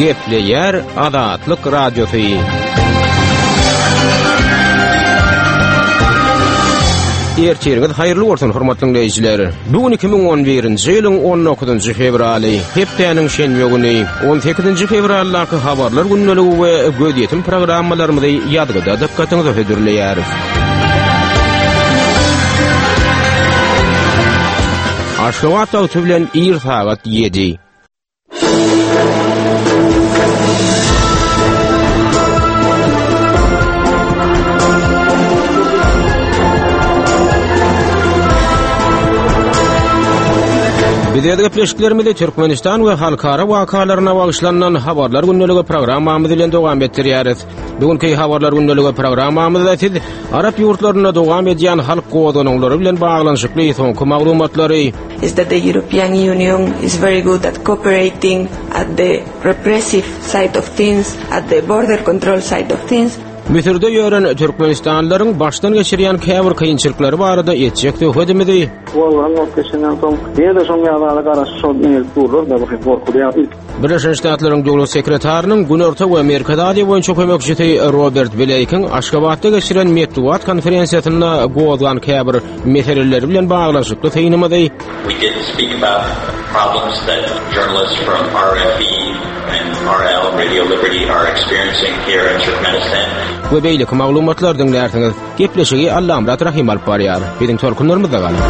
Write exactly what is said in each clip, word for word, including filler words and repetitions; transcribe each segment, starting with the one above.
Gepleýär Azatlyk Radiosy. Ertiriňiz haýyrly bolsun hormatly dinleýjiler. Bu gün iki müň on birinji ýylyň on dokuzynjy fewraly, hepdäniň şenbe güni, on sekizinji fewraldaky habarlar gündeligi we gözýetim programmalarymyzy ýazgyda dykgatyňyza hödürleýäris. Aşgabat wagty bilen ir sagat ýedi. Biz öz gepleşiklerimizi Türkmenistan we halkara wakalaryna bagyşlanan habarlar gündeligi programmamyz bilen dowam etdirýäris. Bugünkü habarlar gündeligi programmamyzda siz Arap ýurtlarynda dowam edýän halk gozgalaňlary bilen baglanyşykly soňky maglumatlary is that the European Union is very good at cooperating at the repressive side of things, at the border control side of things. Müsürde ýören Türkmenistanlylaryň başdan geçirýän käbir kynçylyklary barada etjek söhbetimizi Wallahi wagt geçenden soň ýene-de şoň ýaly garaşyp şol eňelip durlar da bu gorkuly ýa ilk Birleşen Ştatlaryň Döwlet sekretarynyň Günorta we Merkezi Aziýa boýunça kömekçisi Robert Bleýkiň Aşgabatda geçiren metbugat konferensiýasynda gozgan käbir meseleleri bilen baglanyşykly synymyzy We did speak about problems that journalists from R F E and R L Radio Liberty are experiencing here in Turkmenistan. We beýleki maglumatlar diňlärsiňiz. Gepleşigi Allamyrat Rahim alyp barýar. Biziň tolkunlarymyzda galyň.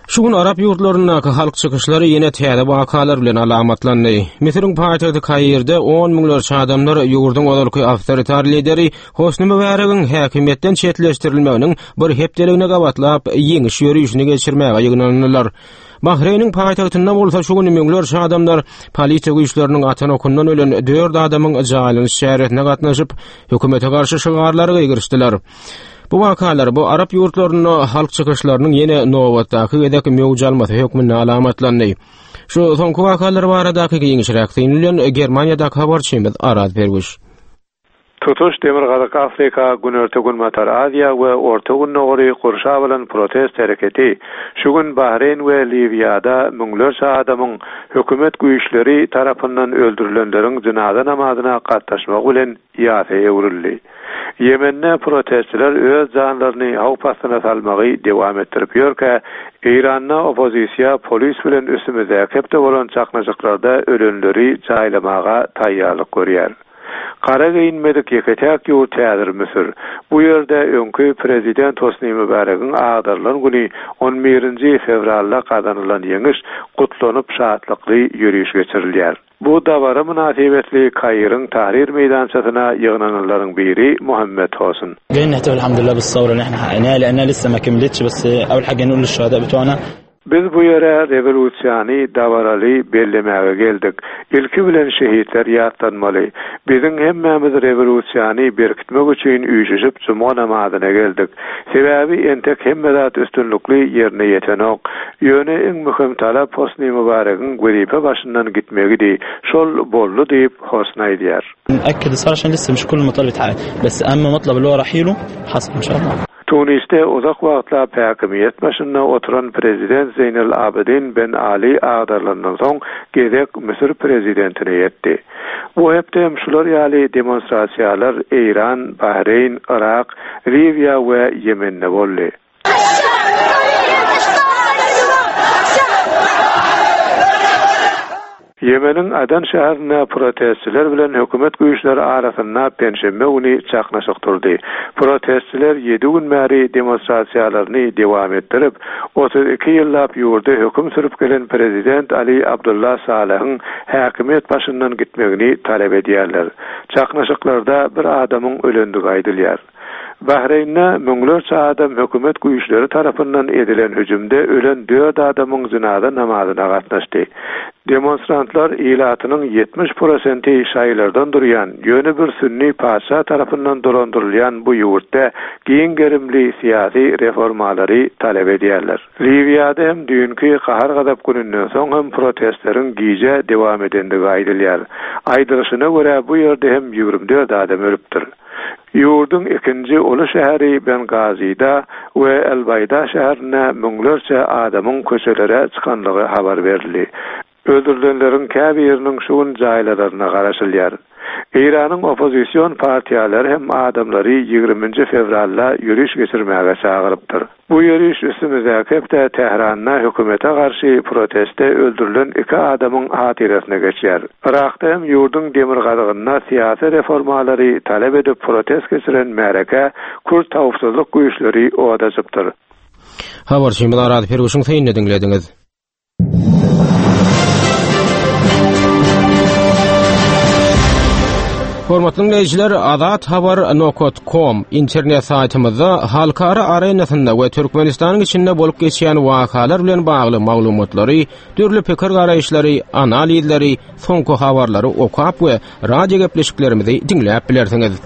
Şu gün Arap ýurtlaryndaky halk çykyşlary ýene täze wakalar bilen alamatlandy. Müsüriň paýtagty Kairde on müňlerçe adamlar ýurduň ozalky awtoritar lideri Hosni Mübaregiň häkimiýetden çetleşdirilmeginiň bir hepdeligine gabatlap ýeňiş ýörişini geçirmäge ýygnandylar. Bahreýniň paýtagtynda bolsa şu gün müňlerçe adamlar polisiýa güýçleriniň atan okundan ölen dört adamyň jaýlanyş çäresine gatnaşyp, hökümete garşy şygarlary gygyryşdylar. Bu wakalar bu Arap ýurtlarynda halk çykyşlarynyň ýene nobatdaky gezek möwç almasy hökmünde alamatlandy. Şu soňky wakalar baradaky giňişräk syn bilen Germaniýadaky habarçymyz Araz Perwiş. Tutuş Demirgazyk Afrika, Günorta Günbatar Aziýa we Orta Gündogary gurşap alan protest hereketi şu gün Bahreýn we Liwiýada müňlerçe adamyň hökümet güýçleri tarapyndan öldürilenleriň jynaza namazyna gatnaşmagy bilen ýasa öwrüldi. Ýemende protestçiler öz janlaryny howp astyna salmagy dowam etdirip ýörkä, Eýranda oppozisiýa polis bilen üstümizdäki hepde bolan çaknyşyklarda ölenleri jaýlamaga taýýarlyk görýär. Gara geýinmedik ýeke-täk ýurt häzir Müsür. Bu ýerde öňki prezident Hosni Mübaregiň agdarylan güni on birinji fewralda gazanylan ýeňiş gutlanyp şatlykly ýöriş geçirilýär. Bu dabara mynasybetli Kairiň Tahrir meýdançasyna ýygnananlaryň biri Muhammed Hosun. جايين نحتفل الحمد لله بالثورة اللي احنا حققناها لأنها لسه ما كملتش بس أول حاجة نقول للشهداء بتوعنا Biz bu ýere rewolýusiýany dabaraly bellemäge geldik. Ilki bilen şehitler ýatlanmaly. Biziň hemmämiz rewolýusiýany berkitmek üçin üýşüşip juma namazyna geldik. Sebäbi entek hemme zat üstünlikli ýerine ýetenok. Ýöne iň möhüm talap Hosni Mübaregiň wezipe başyndan gitmegidi. Şol boldy diýip Hosni aýdýar. نأكد الصلاة عشان لسه مش كل المطالب اتحققت، بس أهم مطلب اللي هو رحيله حصل إن شاء الله. Tunisde uzak wagtlap häkimiýet başynda oturan prezident Zeynel Abidin Ben Ali agdarylandan soň gezek Müsür prezidentine ýetdi. Bu hepde hem şular ýaly demonstrasiýalar Eýran, Bahreýn, Irak, Liwiýa we Ýemende boldy. Ýemeniň Adan şäherinde protestçiler bilen hökümet güýçleri arasynda penşenbe güni çaknyşyk durdy. Protestçiler ýedi gün bäri demonstrasiýalaryny dowam etdirip, otuz iki ýyllap ýurda höküm sürüp gelen prezident Ali Abdullah Salehiň häkimiýet başyndan gitmegini talap edýärler. Çaknyşyklarda bir adamyň ölendigi aýdylýar. Bahreýnde müňlerçe adam hökümet güýçleri tarapyndan edilen hüjümde ölen dört adamyň jynaza namazyna gatnaşdy. Demonstrantlar ilatynyň ýetmiş prosenti şaýlardan durýan, ýöne bir sünni patyşa tarapyndan dolandyrylýan bu ýurtda giň gerimli syýasy reformalary talap edýärler. Liwiýada hem düýnki gahar-gazap gününden soň hem protestleriň gije dowam edendigi aýdylýar. Aýdylyşyna görä bu ýerde hem ýigrimi dört adam ölüpdir. Ýurduň ikinji uly şäheri Bengazide we El-Baýda şäherinde müňlerçe adamyň köçelere çykanlygy habar berildi. Öldürilenleriň käbiriniň şu gün jaýlalaryna garaşylýar. Eýranyň oppozision partiýalary hem adamlary ýigriminji fewralda ýöriş geçirmäge çagyrypdyr. Bu ýöriş üstümizdäki hepde Tähranda hökümete garşy proteste öldürilen iki adamyň hatyrasyna geçýär. Irakda hem ýurduň demirgazygynda syýasy reformalary talap edip protest geçiren märeke Kürt howpsuzlyk güýçleri od açypdyr. Habarçymyz Arad Perwişiň synyny diňlediňiz. Hormatly dinleýjiler, Azat Habar nokta com internet saýtymyzda halkara arenasynda we Türkmenistanyň içinde bolup geçýän wakalar bilen bagly maglumatlary, dürli pikir garaýyşlary, analizleri, soňky habarlary okap we radio gepleşiklerimizi diňläp bilersiňiz.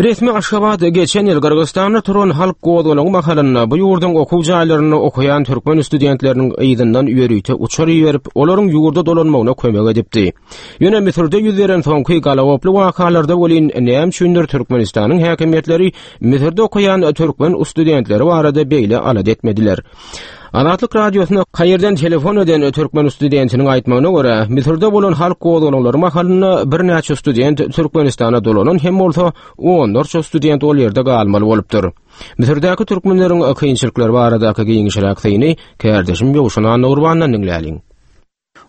Resmi Aşgabat geçen ýyl Gyrgyzystanda turan halk gozgalaňy mahalynda bu ýurduň okuw jaýlarynda okaýan türkmen studentleriniň yzyndan ýörite uçar iberip, olaryň ýurda dolanmagyna kömek edipdi. Ýöne Müsürde ýüz beren soňky galagoply wakalarda welin näme üçindir Türkmenistanyň häkimiýetleri Müsürde okaýan türkmen studentleri barada beýle alada etmediler. Azatlyk radiosyna Kaýirden telefon eden türkmen studentiniň aýtmagyna görä, Müsürde bolan halk gozgalaňlary mahalynda birnäçe student Türkmenistana dolanan hem bolsa, onlarça student ol ýerde galmaly bolupdyr. Müsürdäki türkmenleriň kynçylyklary baradaky giňişräk syny kärdeşim Ýowşan Annagurbandan diňläliň.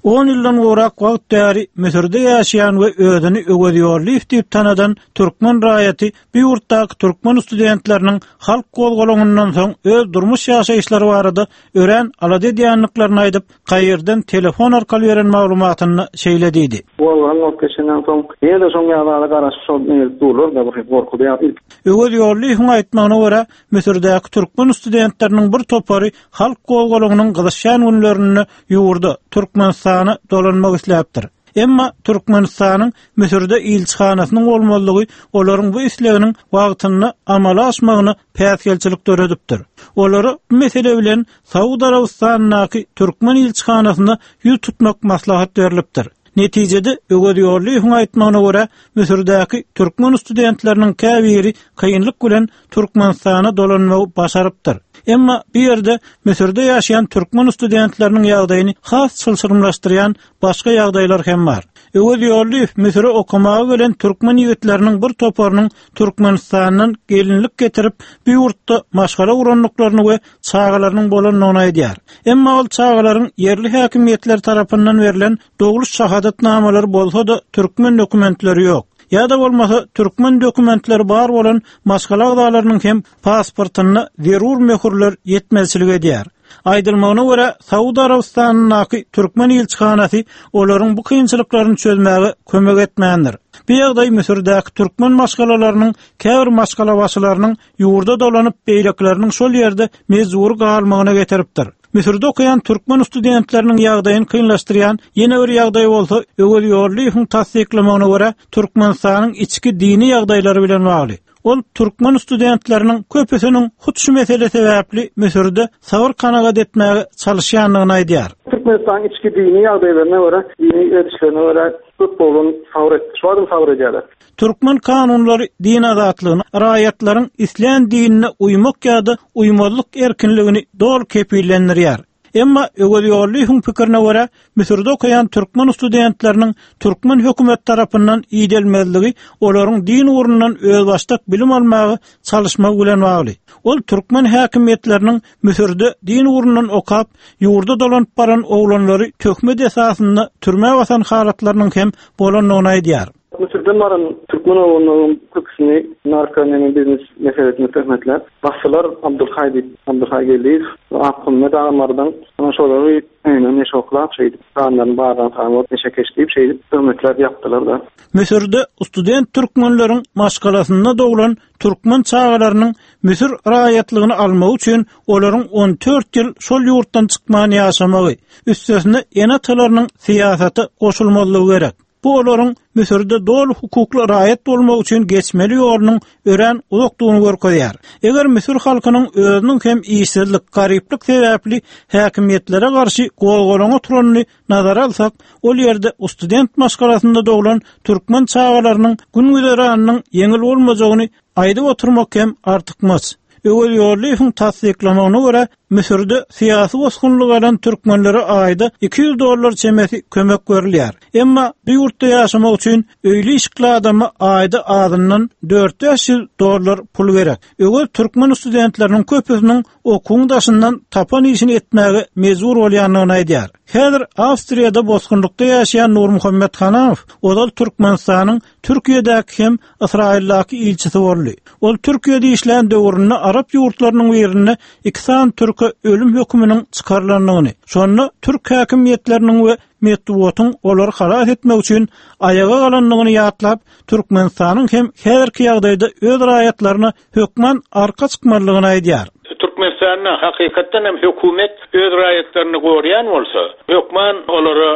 On ýyldan gowrak wagt bäri Müsürde ýaşaýan we özüni Öwez Ýollyýew diýip tanadan türkmen raýaty bu ýurtdaky türkmen studentleriniň halk gozgalaňyndan soň öz durmuş ýaşaýyşlary barada örän alada edýändiklerini aýdyp, Kaýirden telefon arkaly beren maglumatynda şeýle diýdi. Gozgalaň bolup geçenden soň ýene-de şoň ýaly garaşyp şol gelip durlar da bir gorkuda ýa- Öwez Ýollyýewiň aýtmagyna görä, Müsürdäki türkmen studentleriniň bir topary halk gozgalaňynyň gyzyşýan günlerinde ýurda, Türkmenistana dolanmak isläpdir. Emma Türkmenistanyň Müsürde ilçihanasynyň bolmazlygy olaryň bu isleginiň wagtynda amala aşmagyna päsgelçilik döredipdir. Olara bu mesele bilen Saud Arabystanyndaky türkmen ilçihanasyna ýüz tutmak maslahat berilipdir. Netijede Öwez Ýollyýewiň aýtmagyna görä, Müsürdäki türkmen studentleriniň käbiri kynlyk bilen Türkmenistana dolanmagy başarypdyr. Emma bu ýerde Müsürde ýaşaýan türkmen studentleriniň ýagdaýyny has çylşyrymlaşdyrýan başga ýagdaýlar hem bar. Öwez Ýollyýew Müsüre okamaga gelen türkmen ýigitleriniň bir toparynyň Türkmenistandan gelinlik getirip, bu ýurtda maşgala gurandyklaryny we çagalarynyň bolandygyny aýdýar. Emma ol çagalaryň ýerli häkimiýetler tarapyndan berlen dogluş şahadatnamalary bolsa-da türkmen dokumentleri ýok. Ýa-da bolmasa türkmen dokumentleri bar bolan maşgala agzalarynyň hem pasportynda zerur möhürler ýetmezçilik edýär. Aýdylmagyna görä, Saud Arabystanyndaky türkmen ilçihanasy olaryň bu kynçylyklaryny çözmäge kömek etmändir. Bu ýagdaý Müsürdäki türkmen maşgalalarynyň käbir maşgalabaşylarynyň ýurda dolanyp, beýlekileriniň şol ýerde mejbur galmagyna getiripdir. Müsürde okaýan türkmen studentleriniň ýagdaýyny kynlaşdyrýan ýene bir ýagdaý bolsa, Öwez Ýollyýewiň tassyklamagyna görä, Türkmenistanyň içki dini ýagdaýlary bilen bagly. Ol türkmen studentleriniň köpüsiniň hut şu mesele sebäpli Müsürde sabyr kanagat etmäge çalyşýandygyny aýdýar. Türkmenistanyň içki dini ýagdaýlaryna görä, dini edişlerine görä köp bolan sabyr et, şu adam sabyr edýärler. Türkmen kanunlary din azatlygyny, raýatlaryň islän dinine uýmak ýa-da uýmazlyk erkinligini doly kepillendirýär. Emma Öwez Ýollyýewiň pikirine görä, Müsürde okaýan türkmen studentleriniň türkmen hökümet tarapyndan idelmezligi olaryň din ugrundan özbaşdak bilim almaga çalyşmagy bilen bagly. Ol türkmen häkimiýetleriniň Müsürde din ugrundan okap, ýurda dolanyp baran oglanlary töhmet esasynda türmä basan halatlarynyň hem bolandygyny aýdýar. Müsürden baran türkmen oglanlaryň köpüsini narko neme biznes meselesini töhmetläp, basdylar Abdulhaý diýip, Abdulhaý Geldiýew, Akgummet agamardan, onuň şolary öýüne neşe oklap, şeýdip, kanlaryny bardan sanyp, neşekeş diýip, şeýdip töhmetläp ýapdylar da. Müsürde student türkmenleriň maşgalasynda doglan türkmen çagalarynyň Müsür raýatlygyny almagy üçin olaryň on dört ýyl şol ýurtdan çykman ýaşamagy, üstesine ene-atalarynyň syýasata goşulmazlygy gerek. Bu olaryň Müsürde doly hukukly raýat bolmak üçin geçmeli ýolunyň örän uzakdygyny görkezýär. Eger Müsür halkynyň özüniň hem işsizlik, garyplyk sebäpli häkimiýetlere garşy gozgalaňa turanyny nazara alsak, ol ýerde student maşgalasynda doglan türkmen çagalarynyň gün güzeranynyň ýeňil bolmajagyny aýdyp oturmak hem artykmaç. Öwez Ýollyýewiň tassyklamagyna görä, Müsürde syýasy bosgunlyk alan türkmenlere aýda iki ýüz dollar çemesi kömek berilýär. Emma bu ýurtda ýaşamak üçin öýli işikli adama aýda azyndan dört-bäş ýüz dollar pul gerek. Öwez türkmen studentleriniň köpüsiniň okuwyň daşyndan tapan işini etmäge mejbur bolýandygyny aýdýar. Häzir Awstriýada bosgunlykda ýaşaýan Nurmuhammet Hanamow ozal Türkmenistanyň Türkiýedäki hem Ysraýyldaky ilçisi boldy. Ol Türkiýede işlän döwründe Arap ýurtlarynyň birinde iki sany türke ölüm höküminiň çykarylandygyny, şonda türk häkimiýetleriniň we metbugatyň olary halas etmek üçin aýaga galandygyny ýatlap, Türkmenistanyň hem häzirki ýagdaýda öz raýatlaryna hökman arka çykmalydygyny aýdýar. Türkmenistanda hakykatdan hem hökümet öz raýatlaryny goraýan bolsa, hökman olara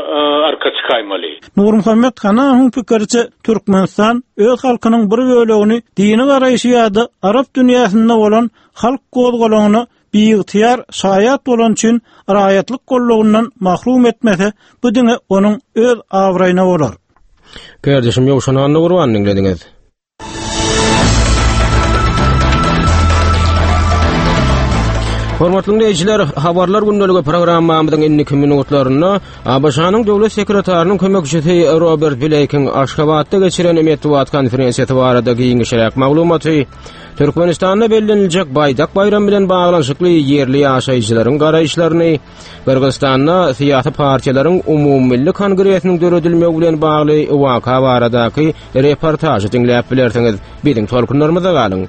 arka çykaýmaly. Nurmuhammet Hanamowyň pikiriçe, Türkmenistan öz halkynyň bir bölegini dini garaýşy ýa-da Arap dünýäsinde bolan halk gozgalaňyna biygtyýar şaýat bolan üçin raýatlyk gollugyndan mahrum etmese, bu diňe onuň öz abraýyna bolar. Kardeşim Ýowşan Annagurban diňlediňiz. Hormatly dinleýjiler, habarlar gündeligi programmamyzyň indiki minutlarynda A B Ş-nyň döwlet sekretarynyň kömekçisi Robert Bleýkiň Aşgabatda geçiren metbugat konferensiýasy barada giňişräk maglumaty, Türkmenistanda belleniljek Baýdak baýramy bilen baglanyşykly ýerli ýaşaýjylaryň garaýyşlaryny, Gyrgyzystanda syýasy partiýalaryň umumymilli kongresiniň döredilmegi bilen bagly waka baradaky reportažy diňläp bilersiňiz. Biziň tolkunlarymyzda galyň.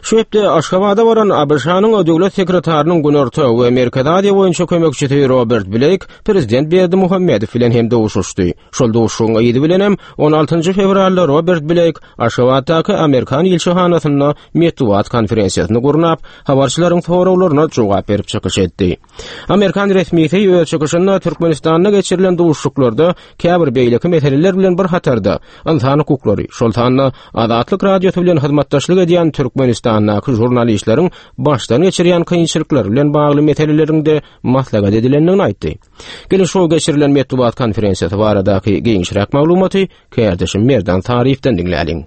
Şu hepde Aşgabada baran A B Ş-nyň döwlet sekretarynyň Günorta we Merkezi Aziýa boýunça kömekçisi Robert Bleýk prezident Berdimuhamedow bilen hem duşuşdy. Şol duşuşygyň yzy bilen hem on altynjy fewralda Robert Bleýk Aşgabatdaky Amerikan ilçihanasynda metbugat konferensiýasyny gurnap, habarçylaryň soraglaryna jogap berip çykyş etdi. Amerikan resmisi öz çykyşynda Türkmenistanda geçirilen duşuşyklarda käbir beýleki meseleler bilen bir hatarda ynsan hukuklary, şol sanda Azatlyk Radiosy bilen hyzmatdaşlyk edýän Türkmenistandaky žurnalistleriň başdan geçirýän kynçylyklary bilen bagly meseleleriň de maslahat edilendigini aýtdy. Gelin şu geçirilen metbugat konferensiýasy baradaky giňişräk maglumaty kärdeşim Merdan Saryýewden diňläliň.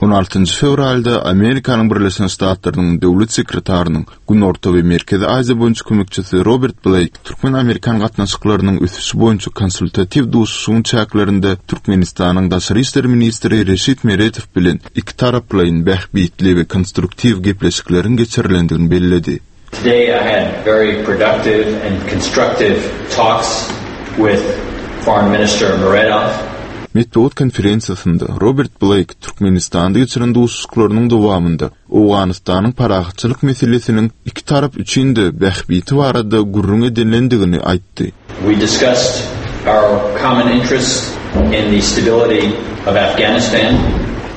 On altynjy fewralda Amerikanyň Birleşen Ştatlarynyň döwlet sekretarynyň Günorta we Merkezi Aziýa boýunça kömekçisi Robert Bleýk Türkmen-Amerikan gatnaşyklarynyň ösüşi boýunça konsultatiw duşuşygyň çäklerinde Türkmenistanyň Daşary işler ministri Reşit Meredow bilen iki taraplaýyn bähbitli we konstruktiw gepleşikleriň geçirilendigini belledi. Today I had very productive and constructive talks with Foreign Minister Meredov. Metbugat konferensiýasynda Robert Bleýk Türkmenistanda geçiren duşuşyklarynyň dowamynda Owganystanyň parahatçylyk meselesiniň iki tarap üçin de bähbiti barada gürrüň edilendigini aýtdy. We discussed our common interests in the stability of Afghanistan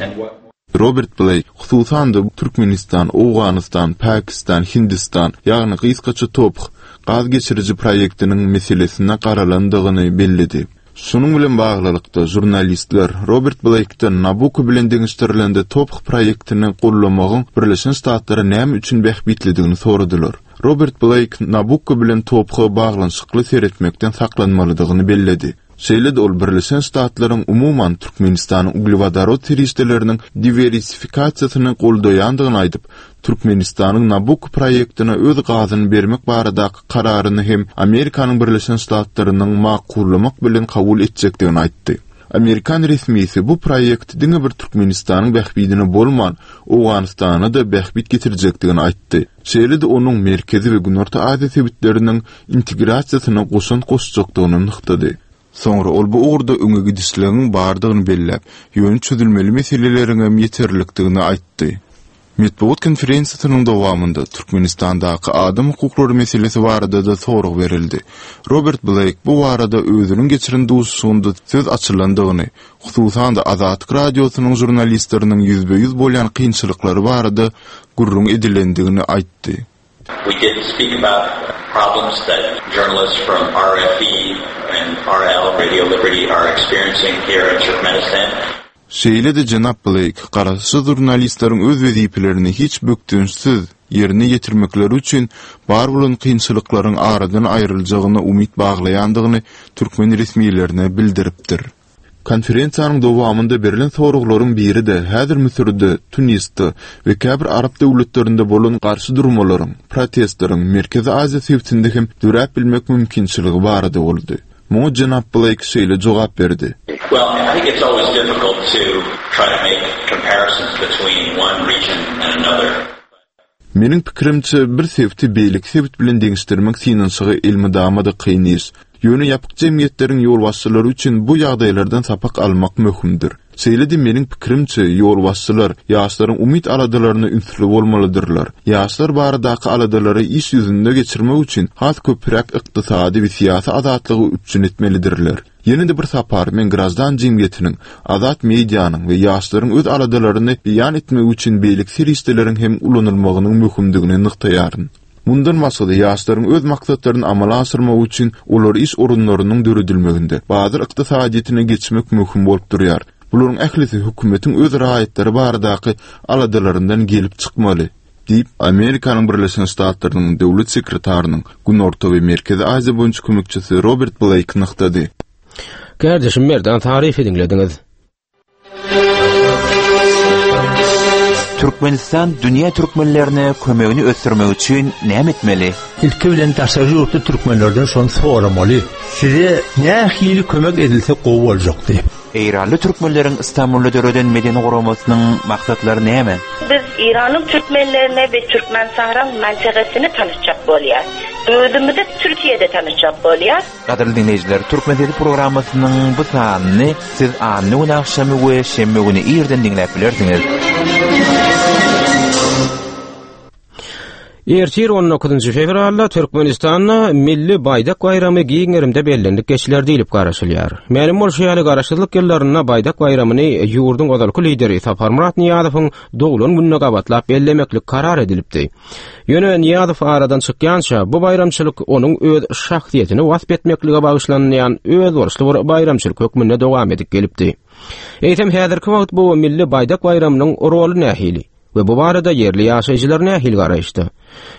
and what Robert Bleýk, hususan-da Türkmenistan, Owganystan, Pakistan, Hindistan, ýagny gysgaça TOPH gaz geçiriji proýektiniň meselesine garalandygyny belledi. Şunuň bilen baglylykda žurnalistler Robert Bleýkden Nabucco bilen deňeşdirilende TOPH proýektini gollamagyň Birleşen Ştatlara näme üçin bähbitlidigini soradylar. Robert Bleýk Nabucco bilen TOPH-a baglanyşykly seretmekden saklanmalydygyny belledi. Şeýle-de ol Birleşen Ştatlaryň umuman Türkmenistanyň uglewodorod serişdeleriniň diwersifikasiýasyny goldaýandygyny aýdyp, Türkmenistanyň Nabucco proýektine öz gazyny bermek baradaky kararyny hem Amerikanyň Birleşen Ştatlarynyň makullamak bilen kabul etjekdigini aýtdy. Amerikan resmisi bu proýekt diňe bir Türkmenistanyň bähbidine bolman, Owganystana da bähbit getirjekdigini aýtdy. Şeýle-de onuň Merkezi we Günorta Aziýa sebitleriniň integrasiýasyna goşant goşjakdygyny nygtady. Soňra ol bu ugurda öňe gidişligiň bardygyny belläp, ýöne çözülmeli meseleleriň hem ýeterlikdigini aýtdy. Metbugat konferensiýasynyň dowamynda Türkmenistandaky adam hukuklary meselesi barada da sorag berildi. Robert Bleýk bu barada özüniň geçiren duşuşygynda söz açylandygyny, hususan-da Azatlyk Radiosynyň žurnalistleriniň ýüzbe-ýüz bolýan kynçylyklary barada gürrüň edilendigini aýtdy. We did speak about problems that journalists from RFE and RL, Radio Liberty, are experiencing here in Turkmenistan. Şeýle-de jenap Bleýk garaşsyz žurnalistleriň öz wezipelerini hiç bökdençsiz ýerine ýetirmekleri üçin bar bolan kynçylyklaryň aradan aýryljagyna umyt baglaýandygyny türkmen resmilerine bildiripdir. Konferensiýanyň dowamynda berlen soraglaryň biri-de häzir Müsürde, Tunisde we käbir arap döwletlerinde bolan garşy durmalaryň, protestleriň Merkezi Aziýa sebitinde hem döräp bilmek mümkinçiligi barada boldy. Muňa jenap Bleýk şeýle jogap berdi. Well, I think it's always difficult to try to make comparisons between one region and another. Meniň pikirimçe bir sebiti beýleki sebit bilen deňeşdirmek synanyşygy elmydama-da kyn iş. Ýöne ýapyk jemgyýetleriň ýolbaşçylary üçin bu ýagdaýlardan sapak almak möhümdir. Şeýle-de meniň pikirimçe ýolbaşçylar ýaşlaryň umyt aladalaryna ünsli bolmalydyrlar. Ýaşlar baradaky aladalary iş ýüzünde geçirmek üçin has köpräk ykdysady we syýasy azatlygy üpjün etmelidirler. Ýene-de bir sapar men graždan jemgyýetiniň, azat medianyň we ýaşlaryň öz aladalaryny beýan etmegi üçin beýleki serişdeleriň hem ulanylmagynyň möhümdigini nygtaýaryn. Mundan başga-da ýaşlaryň öz maksatlaryny amala aşyrmagy üçin olar iş orunlarynyň döredilmeginde bazar ykdysadyýetine geçmek möhüm bolup durýar. Bularyň ählisi hökümetiň öz raýatlary baradaky aladalaryndan gelip çykmaly diýip Amerikanyň Birleşen Ştatlarynyň döwlet sekretarynyň Günorta we Merkezi Aziýa boýunça kömekçisi Robert Bleýk nygtady. Kärdeşim Merdan Taryfy diňlediňiz. Türkmenistan dünýä türkmenlerine kömegini ösdürmek üçin näme etmeli? Ilki bilen daşary ýurtly türkmenlerden şony soramaly. Size nähili kömek edilse gowy boljakdy. Eýranly türkmenleriň Istanbulda döreden medeni guramasynyň maksatlary näme? Biz Eýranyň türkmenlerine we Türkmenistanyň mantagasyny tanışjak bolýar. Özümizi Türkiýede tanışjak bolýar. Gadyrly dinleýjiler, Türkmen Sesi programmasynyň bu sanyny siz anna gün agşamy we şenbe güni irden diňläp bilersiňiz. Ertir on dokuzynjy fewralda Türkmenistanda Milli Baýdak baýramy giň gerimde bellendik geçiler diýlip garaşylýar. Mälim bolşy ýaly garaşsyzlyk ýyllarynda Baýdak baýramyny ýurduň ozalky lideri Saparmyrat Nyýazowyň doglan gününe gabatlap bellemeklik karar edilipdi. Ýöne Nyýazow aradan çykýança bu baýramçylyk onuň öz şahsyýetini wasp etmeklige bagyşlanýan özboluşly bir baýramçylyk hökmünde dowam edip gelipdi. Eýsem häzirki wagt bu Milli Baýdak baýramynyň roly nähili? We bu barada ýerli ýaşaýjylar nähili garaýyşda?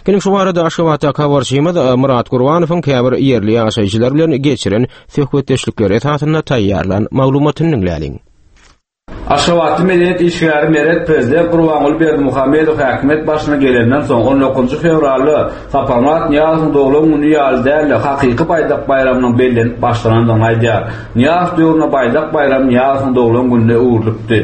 Geliň şu barada Aşgabatda habarçymyz Murat Gurbanowyň käbir ýerli ýaşaýjylar bilen geçiren söhbetdeşlikleri esasynda taýýarlan maglumatyny diňläliň. Aşgabatly medeniýet işgäri Meret Prezident Gurbanguly Berdimuhamedow häkimiýet başyna gelenden soň on dokuzynjy fewralda Saparmyrat Nyýazowyň doglan güni ýaly däl-de hakyky Baýdak baýramynyň bellenip başlanandygyny aýdýar. Nyýazow döwründe Baýdak baýramy Nyýazowyň doglan gününe öwrülipdi.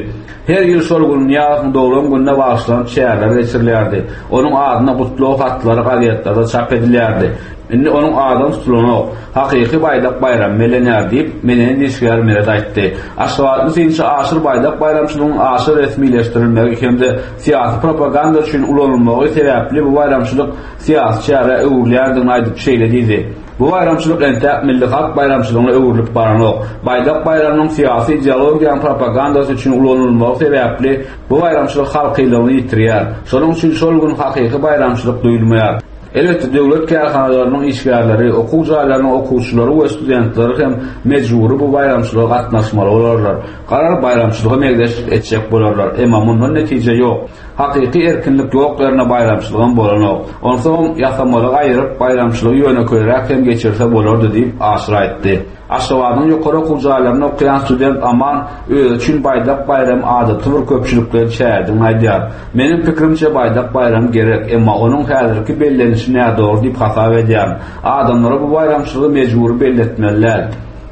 Her ýyl şol gün Nyýazowyň doglan gününe bagyşlanyp çäreler geçirilýärdi. Onuň adyna gutlag hatlary gazetlerde çap edilýärdi. Indi onuň adyny tutulanok, hakyky Baýdak baýramy bellenýär diýip, medeniýet işgäri Meret aýtdy. Aşgabatly synçy Aşyr Baýdak baýramçylygyň aşyr resmileşdirilmegi hem-de syýasy propaganda üçin ulanylmagy sebäpli bu baýramçylyk syýasy çärä öwrülýändigini aýdyp şeýle diýdi. Bu baýramçylyk entäk milli halk baýramçylygyna öwrülip baranok. Baýdak baýramynyň syýasy ideologiýanyň propagandasy üçin ulanylmagy sebäpli bu baýramçylyk halkylygyny ýitirýär. Şonuň üçin şol gün hakyky baýramçylyk duýulmaýar. Elbetde döwlet kärhanalarynyň işgärleri, okuw jaýlarynyň okuwçylary we studentleri hem mejbury bu baýramçylyga gatnaşmaly bolarlar. Garar baýramçylyga meňzeş etjek bolarlar. Emma mundan netije ýok. Hakyky erkinlik ýok ýerine baýramçylygam bolanok. Onsoň ýasamalygy aýyryp baýramçylygy ýönekeýräk hem geçirse bolardy diýip Aşyr aýtdy. Aşgabadyň ýokary okuw jaýlarynda okaýan student Aman özi üçin Baýdak baýramy adaty bir köpçülikleýin çäredigini aýdýar. Meniň pikirimçe Baýdak baýramy gerek, emma onuň häzirki bellenişi nädogry diýip hasap edýärin. Adamlara bu baýramçylygy mejbury belletmeli däl.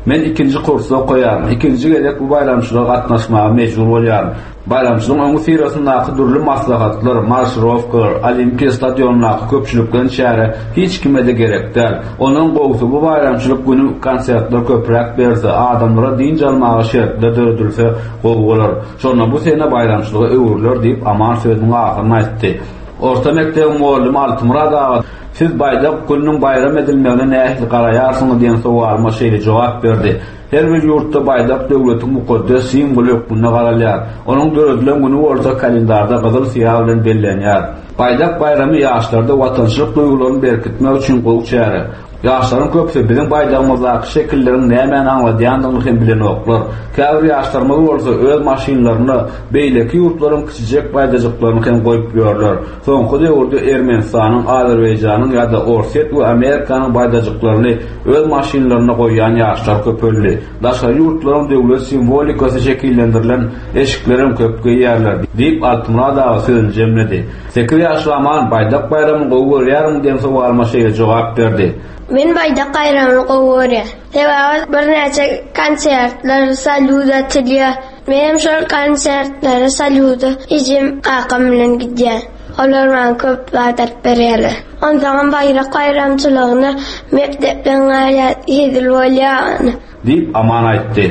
Men ikinji kursda okaýaryn. Ikinji gezek bu baýramçylyga gatnaşmaga mejbur bolýaryn. Baýramçylygyň öňi syrasyndaky dürli maslahatlar, marşirowkalar, Olimpiýa stadionyndaky köpçülikleýin çäre hiç kime-de gerek däl. Onuň gowusy bu baýramçylyk günü konsertler köpräk berse, adamlara dynç almaga şertler döredilse gowy bolar. Şonda bu sene baýramçylyga öwrüler diýip Aman sözüniň ahyryny aýtdy. Orta mekdebiň muallimi Altymyrat aga, siz Baýdak gününiň baýram edilmegine nähili garaýarsyňyz diýen sowalyma şeýle jogap berdi. Her bir ýurtda baýdak döwletiň mukaddes simwoly hökmünde garalýar. Onuň döredilen güni bolsa kalendarda gyzyl syýa bilen bellenýär. Baýdak baýramy ýaşlarda watançylyk duýgularyny berkitmek üçin gowy çäre. Ýaşlaryň köpüsi biziň baýdagymyzdaky şekilleriň nämäni aňladýandygyny hem bilenoklar. Käbir ýaşlarymyz bolsa öz maşynlaryna beýleki ýurtlaryň kiçijek baýdajyklaryny hem goýup ýörler. Soňky döwürde Ermenistanyň, Azerbaýjanyň ýa-da Orsýet we Amerikanyň baýdajyklaryny öz maşynlaryna goýýan ýaşlar köpeldi. Daşary ýurtlaryň döwlet simwolikasy şekillendirilen eşikleri köp geýýärler diýip Altymyrat aga sözüni jemledi. Sekiz ýaşly Aman baýdak baýramyny gowy görýärmi diýen sowalyma şeýle jogap berdi. Men baýdak baýramyny gowy görýän. Sebäbi birnäçe konsertler, salýut atylýar. Men şol konsertlere, salýuda ejem kakam bilen gidýän. Olar maňa köp zat alyp berýärler. Onsoňam baýrak baýramçylygyna mekdepden galýar, hezil bolýar. Diýip Aman aýtdy.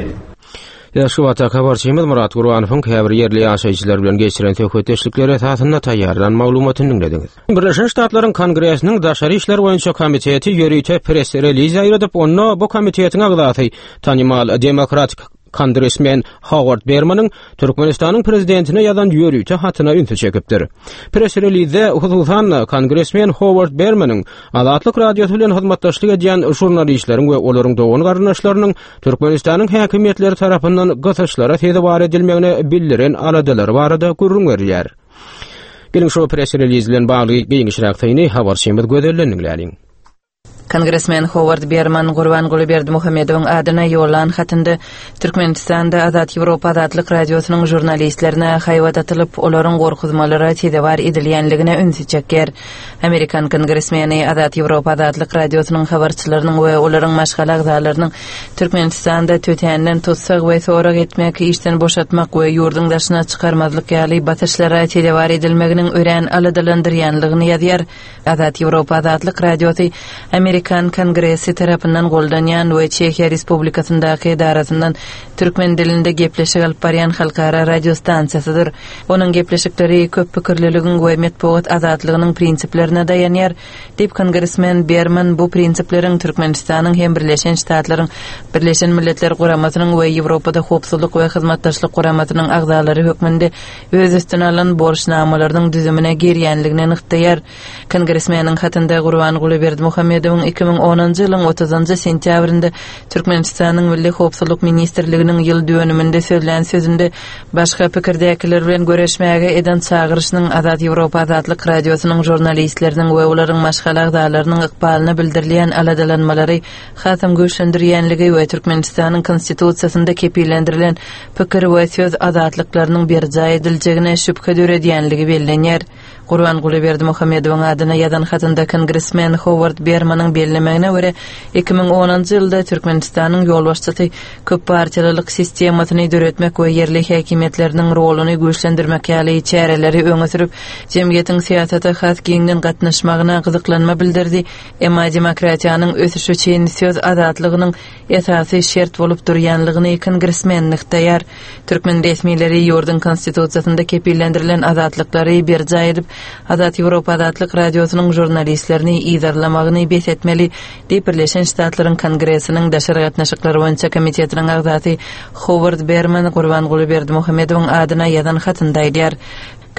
Aşgabatda habarçymyz Murat Gurbanowyň käbir ýerli ýaşaýjylar bilen geçiren söhbetdeşlikleri esasynda taýýarlan maglumatyny diňlediňiz. Birleşen Ştatlaryň Kongresiniň Daşary işler boýunça komiteti ýörite press reliz ýaýradyp, onda bu komitetiň agzasy tanymal demokratik kongresmen Howard Bermanyň Türkmenistanyň prezidentine ýazan ýörite hatyna ünsi çekipdir. Press relizde hususan kongresmen Howard Bermanyň Azatlyk Radiosy bilen hyzmatdaşlyk edýän žurnalistleriň we olaryň dogan garyndaşlarynyň Türkmenistanyň häkimiýetleri tarapyndan gysyşlara sezewar edilmegine bildiren aladalary barada gürrüň berilýär. Geliň şu press reliz bilen bagly giňişräk syny habarçymyz Gözelden diňläliň. Kongresmen Howard Berman Gurbanguly Berdimuhamedowyň adyna ýollan hatynda Türkmenistanda Azat Ýewropa Azatlyk Radiosynyň žurnalistlerine haýbat atylyp, olaryň gorkuzmalara sezewar edilýänligine ünsi çekýär. Amerikan kongresmeni Azat Ýewropa Azatlyk Radiosynyň habarçylarynyň we olaryň maşgala agzalarynyň Türkmenistanda tötänden tutsak we sorag etmek, işden boşatmak we ýurduň daşyna çykarmazlyk ýaly basyşlara sezewar edilmeginiň örän aladalandyrýanlygyny ýazýar. Azat Ýewropa Azatlyk Radiosy Amerikan Kongresi tarapyndan goldanýan we Çehiýa Respublikasyndaky edarasyndan türkmen dilinde gepleşik alyp barýan halkara radiostansiýasydyr. Onuň gepleşikleri köp pikirliligiň we metbugat azatlygynyň prinsiplerine daýanýar. Diýip kongresmen Berman bu prinsipleriň Türkmenistanyň hem Birleşen Ştatlaryň Birleşen Milletler Guramasynyň we Ýewropada Howpsuzlyk we Hyzmatdaşlyk Guramasynyň agzalary hökmünde öz üstüne alan borçnamalarynyň düzümine girýänligini nygtaýar. Kongresmeniň hatynda Gurbanguly Berdimuhamedowyň iki müň onunjy ýylyň otuzynjy sentýabrynda Türkmenistanyň Milli Howpsuzlyk Ministrliginiň ýyl dönüminde sözlän sözünde başga pikirdäkiler bilen göreşmäge eden çagyryşynyň Azat Ýewropa Azatlyk Radiosynyň žurnalistleriniň we olaryň maşgala agzalarynyň ykbalyna bildirilýän aladalanmalary hasam güýçlendirýänligi we Türkmenistanyň Konstitusiýasynda kepillendirilen pikir we söz azatlyklarynyň berjaý ediljegine şübhe döredýänligi bellenýär. Gurbanguly Berdimuhamedowyň adyna ýazan hatynda kongresmen Howard Bermanyň bellemegine görä iki müň onunjy ýylda Türkmenistanyň ýolbaşçysy köp partiýalylyk sistemasyny döretmek we ýerli häkimiýetleriniň roluny güýçlendirmek ýaly çäreleri öňe sürüp, jemgyýetiň syýasata has giňden gatnaşmagyna gyzyklanma bildirdi. Emma demokratiýanyň ösüşi üçin söz azatlygynyň esasy şert bolup durýanlygyny kongresmen nygtaýar. Türkmen resmileri ýurduň konstitusiýasynda kepillendirilen azatlyklary berjaý edip, Azat Ýewropa Azatlyk Radiosynyň žurnalistlerini yzarlamagyny bes etmeli diýip Birleşen Ştatlaryň Kongresiniň Daşary gatnaşyklar boýunça komitetiniň agzasy Howard Berman Gurbanguly Berdimuhamedowyň adyna ýazan hatynda aýdýar.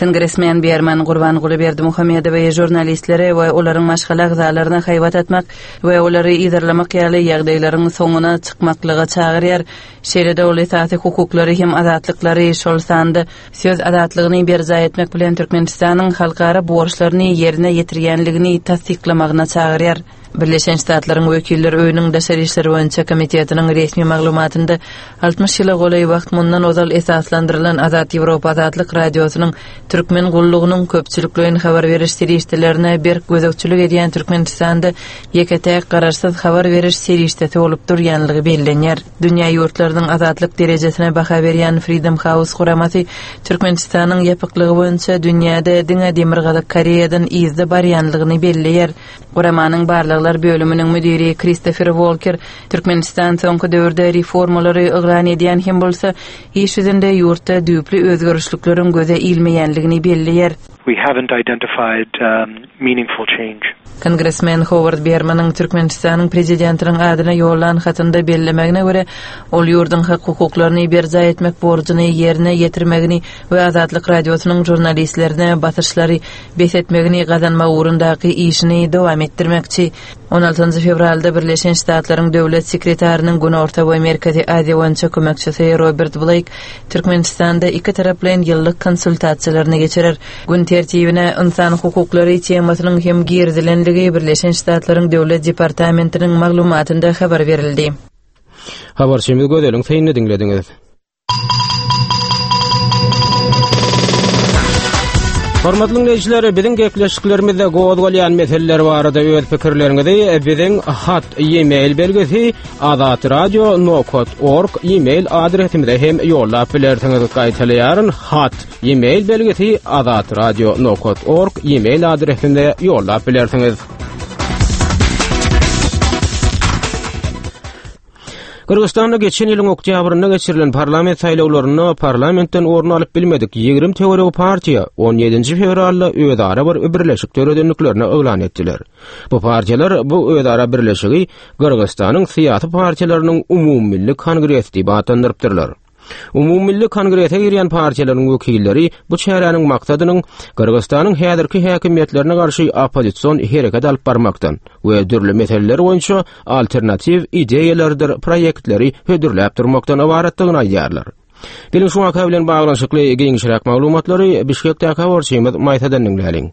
Kongresmen Berman Gurbanguly Berdimuhamedowy žurnalistlere we olaryň maşgala agzalaryna haýbat atmak we olary yzarlamak ýaly ýagdaýlaryň soňuna çykmaklyga çagyrýar. Şeýle-de ol esasy hukuklary hem azatlyklary, şol sanda söz azatlygyny berjaý etmek bilen Türkmenistanyň halkara borçlaryny ýerine ýetirýänligini tassyklamagyna çagyrýar. Birleşen Ştatlaryň Wekiller Öýüniň Daşary işler boýunça komitetiniň resmi maglumatynda altmyş ýyla golaý wagt mundan ozal esaslandyrylan Azat Ýewropa Azatlyk Radiosynyň Türkmen gullugynyň köpçülikleýin habar beriş serişdelerine berk gözegçilik edýän Türkmenistanda ýeke-täk garaşsyz habar beriş serişdesi bolup durýanlygy bellenýär. Dünýä ýurtlarynyň azatlyk derejesine baha berýän Freedom House guramasy Türkmenistanyň ýapyklygy boýunça dünýäde diňe Demirgazyk Koreýadan yzda barýanlygyny belleýär. Guramanyň barlaglar bölüminiň müdiri Christopher Walker Türkmenistan soňky döwürde reformalary yglan edýän hem bolsa, iş ýüzünde ýurtda düýpli özgerişlikleriň göze ilmeýänligini belleýär. We haven't identified um, meaningful change. Kongresmen Howard Bermanyň Türkmenistanyň prezidentiniň adyna ýollan hatynda bellemegine görä, ol ýurduň hak hukuklaryny berjaý etmek borjuny ýerine ýetirmegini we Azatlyk radiosynyň žurnalistlerine basyşlary bes etmegini gazanmak ugrundaky işini dowam etdirmekçi. On altynjy fewralda Birleşen Ştatlaryň döwlet sekretarynyň Günorta we Merkezi Aziýa boýunça kömekçisi Robert Bleýk Türkmenistanda iki taraplaýyn ýyllyk konsultasiýalaryny geçirer. Gün tertibine ynsan hukuklary temasynyň hem girizilenligi Birleşen Ştatlaryň Döwlet departamentiniň maglumatynda habar berildi. Habarçymyz Gözeliň synyny diňlediňiz. Hormatly dinleýjiler, biziň gepleşiklerimizde gozgalýan meseleler barada öz pikirleriňizi biziň hat e-mail belgisi azatradio nokat org e-mail adresimize hem ýollap bilersiňiz. Gaýtalaýaryn, hat e-mail belgisi azatradio nokat org e-mail adresimize ýollap bilersiňiz. Gyrgyzystanda geçen ýylyň oktýabrynda geçirilen parlament saýlawlarynda parlamentden orun alyp bilmedik ýigrimi töweregi partiýa on ýedinji fewralda özara bir birleşik döredendiklerini yglan etdiler. Bu partiýalar bu özara birleşigi Gyrgyzystanyň syýasy partiýalarynyň umumymilli kongresi diýip atlandyrypdyrlar. Umumymilli kongrese girýän partiýalaryň wekilleri bu çäräniň maksadynyň Gyrgyzystanyň häzirki häkimiýetlerine garşy oppozision hereket alyp barmakdan we dürli meseleler boýunça alternatiw ideýalardyr proýektleri hödürläp durmakdan ybaratdygyny aýdýarlar. Geliň şu waka bilen baglanyşykly giňişräk maglumatlary Bişkekdäki habarçymyz Maýsadan diňläliň.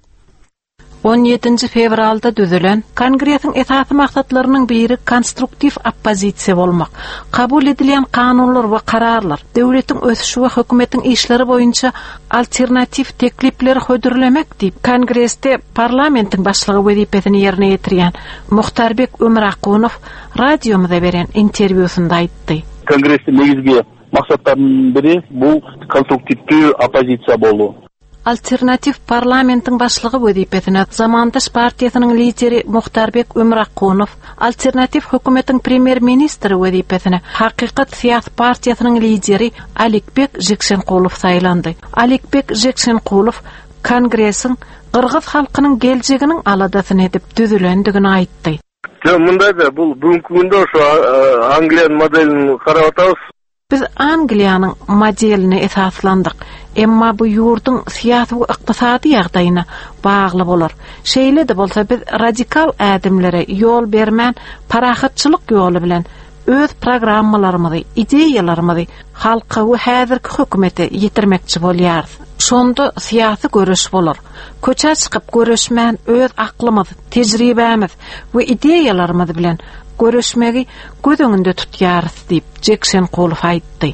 On ýedinji fewralda düzülen Kongresiň esasy maksatlarynyň biri konstruktiw oppozisiýa bolmak. Kabul edilýän kanunlar we kararlar, döwletiň ösüşi we hökümetiň işleri boýunça alternatiw teklipleri hödürlemek diýip, Kongresde parlamentiň başlygy wezipesini ýerine ýetirýän Muhtarbek Ömrakunow radiomyza beren interwýusynda aýtdy. Kongresiň negizgi maksatlarynyň biri bu konstruktiw oppozisiýa boldy. Alternatiw parlamentiň başlygy wezipesine Zamandaş partiýasynyň lideri Muhtarbek Ömrakunow, alternatiw hökümetiň premýer-ministri wezipesine Hakykat syýasy partiýasynyň lideri Alikbek Jekşenkulow saýlandy. Alikbek Jekşenkulow Kongresiň Gyrgyz halkynyň geljeginiň aladasyny edip düzülendigini aýtdy. Ýok, mundayda bu bugünkü günde şu Angliýanyň modelini garap atarys. Biz Angliýanyň modelini esaslandyk. Emma bu ýurduň syýasy we ykdysady ýagdaýyna bagly bolar. Şeýle-de bolsa biz radikal ädimlere ýol bermän parahatçylyk ýoly bilen öz programmalarymyzy, ideýalarymyzy halka we häzirki hökümete ýetirmekçi bolýarys. Şonda syýasy göreş bolar. Köçä çykyp göreşmän öz aklymyz, tejribämiz we ideýalarymyz bilen göreşmegi göz öňünde tutýarys diýip Jekşenkulow aýtdy.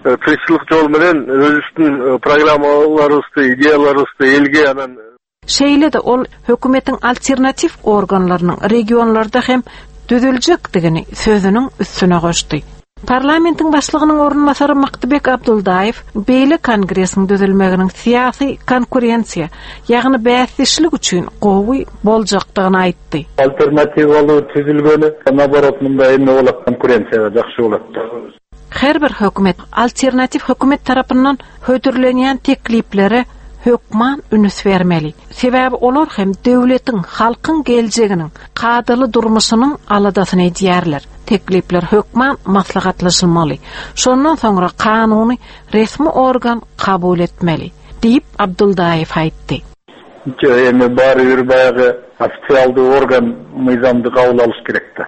Tırışçılık ýol bilen özüstün programmalarysy, ideýalarysy elge anan. Şeýle-de ol hökümetiň alternatiw organlarynyň regionlarda hem düzüljekdigini sözüniň üstüne goşdy. Parlamentiň başlygynyň orunbasary Maktybek Abduldaýew beýle kongresiň düzülmeginiň syýasy konkurensiýa, ýagny bäsdeşlik üçin gowy boljakdygyny aýtdy. Alternatiwaly düzülgeni, naborot munda emme bolak konkurensiýa ýagşy bolakdy. Her bir hökümet alternatiw hökümet tarapyndan hödürlenýän tekliplere hökman ünüs bermeli. Sebäbi olar hem döwletiň, halkyň geljeginiň, kadaly durmuşynyň aladasyny edýärler. Teklipler hökman maslahatlaşylmaly. Şondan soňra kanuny resmi organ kabul etmeli, diýip Abduldaýew aýtdy. Emme bary bir baýagy ofitsialdy organ myzamdy kabul alyş gerekdi.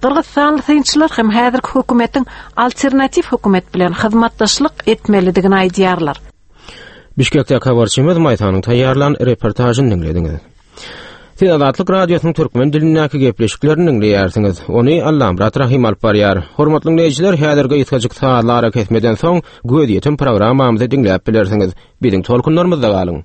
Gyrgyzstanly synçylar hem häzirki hökümetiň alternatiw hökümet bilen hyzmatdaşlyk etmelidigini aýdýarlar. Bişkekde habarçymyz Maýsanyň taýýarlan reportažyny diňlediňiz. Siz Azatlyk Radiosynyň türkmen dilindäki gepleşiklerini diňleýärsiňiz. Ony Allamyrat Rahim alyp barýar. Hormatly dinleýjiler, häzirki gysgajyk sazlara kesmeden soň gözýetim programmamyzy diňläp bilersiňiz. Biziň tolkunlarymyzda galyň.